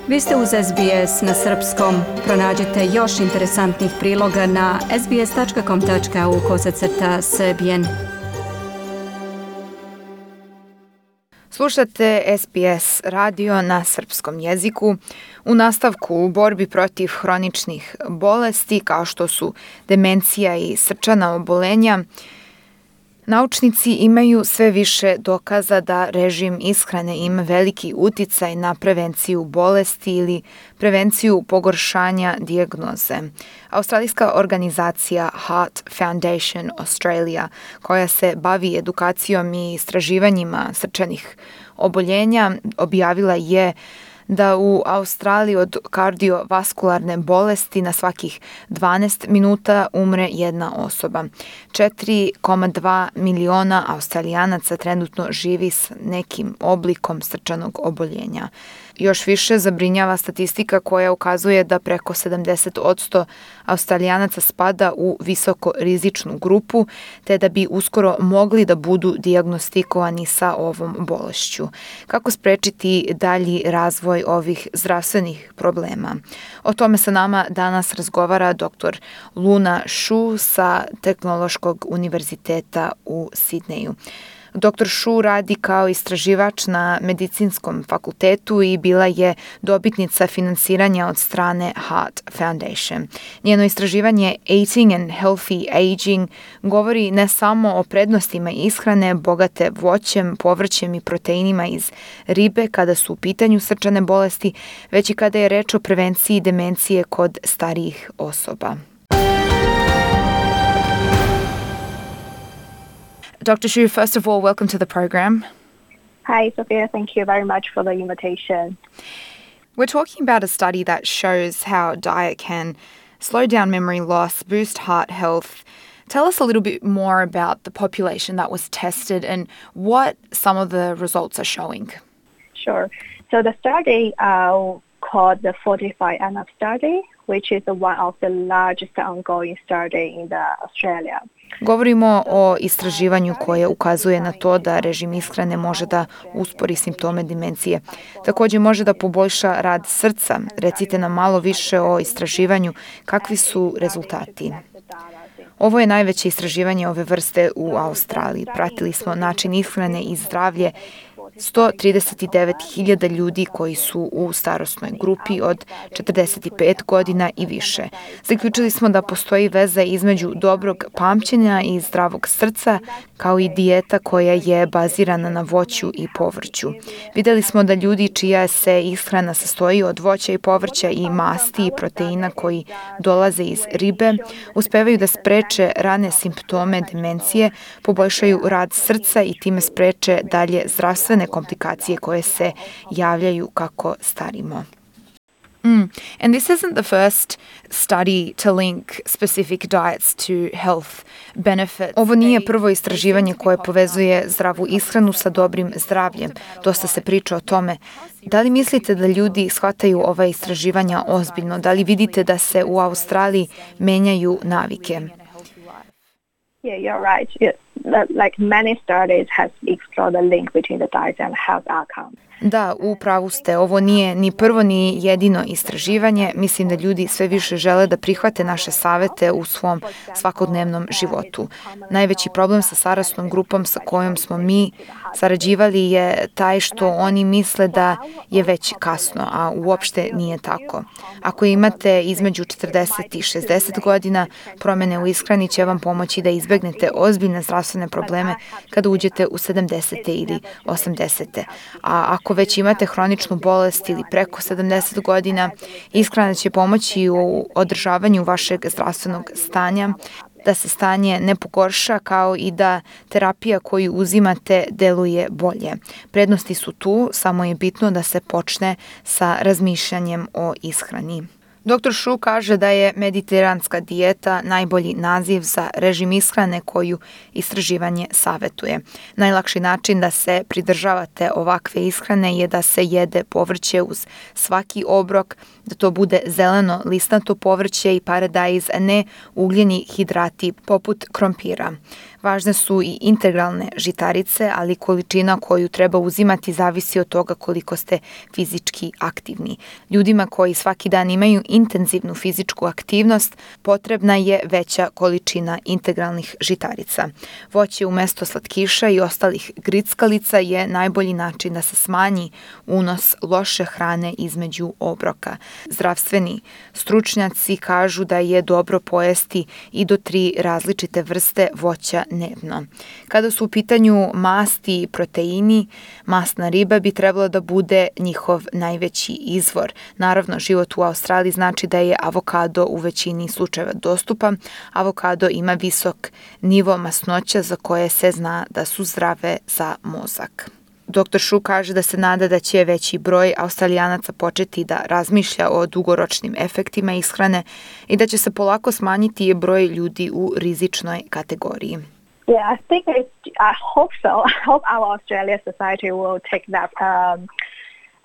Vi ste uz SBS na srpskom. Pronađite još interesantnih priloga na sbs.com.au/srbijen. Slušate SBS radio na srpskom jeziku. U nastavku u borbi protiv hroničnih bolesti kao što su demencija i srčana obolenja, naučnici imaju sve više dokaza da režim ishrane ima veliki uticaj na prevenciju bolesti ili prevenciju pogoršanja dijagnoze. Australijska organizacija Heart Foundation Australia, koja se bavi edukacijom i istraživanjima srčanih oboljenja, objavila je da u Australiji od kardiovaskularne bolesti na svakih 12 minuta umre jedna osoba. 4,2 miliona Australijanaca trenutno živi s nekim oblikom srčanog oboljenja. Još više zabrinjava statistika koja ukazuje da preko 70% Australijanaca spada u visoko rizičnu grupu, te da bi uskoro mogli da budu dijagnostikovani sa ovom bolešću. Kako sprečiti dalji razvoj ovih zdravstvenih problema? O tome sa nama danas razgovara dr. Luna Shu sa Tehnološkog univerziteta u Sidneju. Dr. Shu radi kao istraživač na medicinskom fakultetu i bila je dobitnica finansiranja od strane Heart Foundation. Njeno istraživanje Eating and Healthy Aging govori ne samo o prednostima ishrane bogate voćem, povrćem i proteinima iz ribe kada su u pitanju srčane bolesti, već i kada je reč o prevenciji demencije kod starijih osoba. Dr. Shu, first of all, welcome to the program. Hi, Sophia. Thank you very much for the invitation. We're talking about a study that shows how diet can slow down memory loss, boost heart health. Tell us a little bit more about the population that was tested and what some of the results are showing. Sure. So the study called the 45NF study, which is one of the largest ongoing study in Australia. Govorimo o istraživanju koje ukazuje na to da režim ishrane može da uspori simptome demencije. Također može da poboljša rad srca. Recite nam malo više o istraživanju. Kakvi su rezultati? Ovo je najveće istraživanje ove vrste u Australiji. Pratili smo način ishrane i zdravlje 139.000 ljudi koji su u starosnoj grupi od 45 godina i više. Zaključili smo da postoji veza između dobrog pamćenja i zdravog srca, kao i dijeta koja je bazirana na voću i povrću. Vidjeli smo da ljudi čija se ishrana sastoji od voća i povrća i masti i proteina koji dolaze iz ribe, uspevaju da spreče rane simptome demencije, poboljšaju rad srca i time spreče dalje zdravstvene komplikacije koje se javljaju kako starimo. And this isn't the first study to link specific diets to health benefits. Ovo nije prvo istraživanje koje povezuje zdravu ishranu sa dobrim zdravljem. Dosta se priča o tome. Da li mislite da ljudi shvataju ova istraživanja ozbiljno? Da li vidite da se u Australiji menjaju navike? Yeah, you're right. Like many studies have explored the link between the diet and health outcomes. Da, u pravu ste. Ovo nije ni prvo ni jedino istraživanje. Mislim da ljudi sve više žele da prihvate naše savete u svom svakodnevnom životu. Najveći problem sa starosnom grupom sa kojom smo mi sarađivali je taj što oni misle da je već kasno, a uopšte nije tako. Ako imate između 40 i 60 godina, promjene u ishrani će vam pomoći da izbegnete ozbiljne zdravstvene probleme kada uđete u 70. ili 80. A ako već imate hroničnu bolest ili preko 70 godina, ishrana će pomoći u održavanju vašeg zdravstvenog stanja, da se stanje ne pogorša, kao i da terapija koju uzimate deluje bolje. Prednosti su tu, samo je bitno da se počne sa razmišljanjem o ishrani. Dr. Shu kaže da je mediteranska dijeta najbolji naziv za režim ishrane koju istraživanje savetuje. Najlakši način da se pridržavate ovakve ishrane je da se jede povrće uz svaki obrok, da to bude zeleno listato povrće i paradajz, a ne ugljeni hidrati poput krompira. Važne su i integralne žitarice, ali količina koju treba uzimati zavisi od toga koliko ste fizički aktivni. Ljudima koji svaki dan imaju intenzivnu fizičku aktivnost, potrebna je veća količina integralnih žitarica. Voće umesto slatkiša i ostalih grickalica je najbolji način da se smanji unos loše hrane između obroka. Zdravstveni stručnjaci kažu da je dobro pojesti i do 3 različite vrste voća dnevno. Kada su u pitanju masti i proteini, masna riba bi trebala da bude njihov najveći izvor. Naravno, život u Australiji znači da je avokado u većini slučajeva dostupan. Avokado ima visok nivo masnoća za koje se zna da su zdrave za mozak. Dr. Shu kaže da se nada da će veći broj Australijanaca početi da razmišlja o dugoročnim efektima ishrane i da će se polako smanjiti broj ljudi u rizičnoj kategoriji. Yeah, I hope so. I hope our Australian society will take that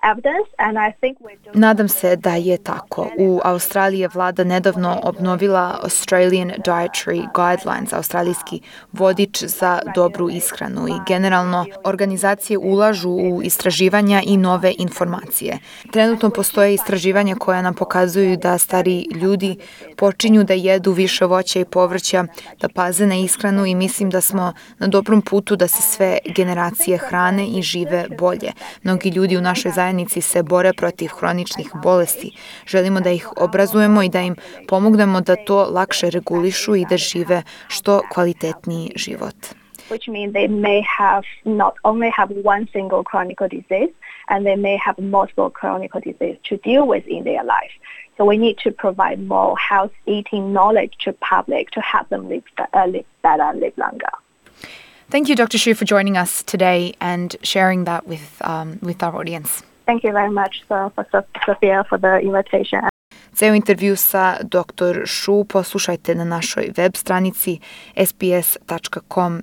evidence, and I think we're doing... Nadam se da je tako. U Australiji je vlada nedavno obnovila Australian Dietary Guidelines, australijski vodič za dobru ishranu, i generalno organizacije ulažu u istraživanja i nove informacije. Trenutno postoje istraživanja koja nam pokazuju da stari ljudi počinju da jedu više voća i povrća, da paze na ishranu, i mislim da smo na dobrom putu da se sve generacije hrane i žive bolje. Mnogi ljudi u našoj zajednici se bore protiv hroničnih bolesti. Želimo da ih obrazujemo i da im pomognemo da to lakše regulišu i da žive što kvalitetniji život. Which means they may have not only have one single chronic disease, and they may have multiple chronic diseases to deal with in their life. So we need to provide more health eating knowledge to public to help them live better, live longer. Thank you, Dr. Shu, for joining us today and sharing that with our audience. Thank you very much, Sophia, for the invitation. Ceo intervju sa Dr. Shu poslušajte na našoj web stranici sbs.com.au.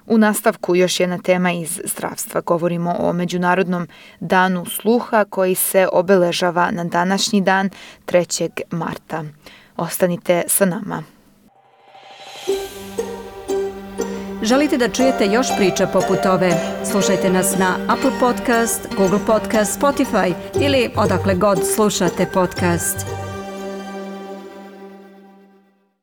U nastavku još jedna tema iz zdravstva. Govorimo o Međunarodnom danu sluha koji se obeležava na današnji dan 3. marta. Ostanite sa nama. Želite da čujete još priča poput ove? Slušajte nas na Apple Podcast, Google Podcast, Spotify ili odakle god slušate podcast.